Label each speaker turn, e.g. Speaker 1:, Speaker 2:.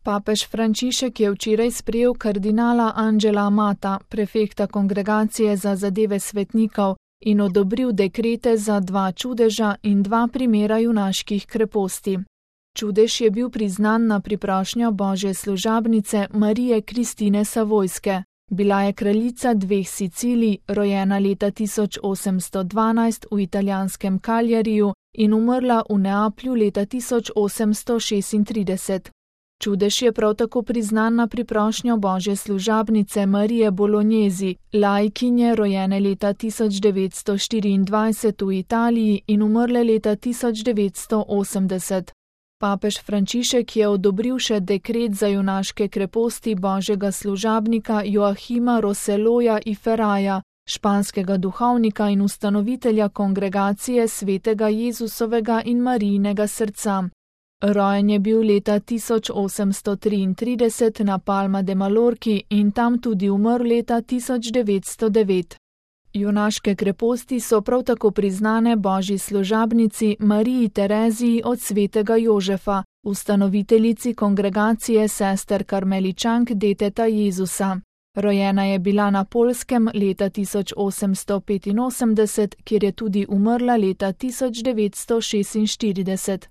Speaker 1: Papež Frančišek je včeraj sprejel kardinala Angela Amata, prefekta Kongregacije za zadeve svetnikov, in odobril dekrete za 2 čudeža in 2 primera junaških kreposti. Čudež je bil priznan na priprošnjo božje služabnice Marije Kristine Savojske. Bila je kraljica 2 Sicilij, rojena leta 1812 v italijanskem Kaljariju in umrla v Neaplju leta 1836. Čudež je prav tako priznan na priprošnjo božje služabnice Marije Bolognesi, laikinje rojene leta 1924 v Italiji in umrle leta 1980. Papež Frančišek je odobril še dekret za junaške kreposti božjega služabnika Joachima Roselloja y Ferraja, španskega duhovnika in ustanovitelja Kongregacije svetega Jezusovega in Marijinega srca. Rojen je bil leta 1833 na Palma de Mallorki in tam tudi umrl leta 1909. Junaške kreposti so prav tako priznane božji služabnici Mariji Tereziji od svetega Jožefa, ustanoviteljici Kongregacije sester karmeličank Deteta Jezusa. Rojena je bila na Poljskem leta 1885, kjer je tudi umrla leta 1946.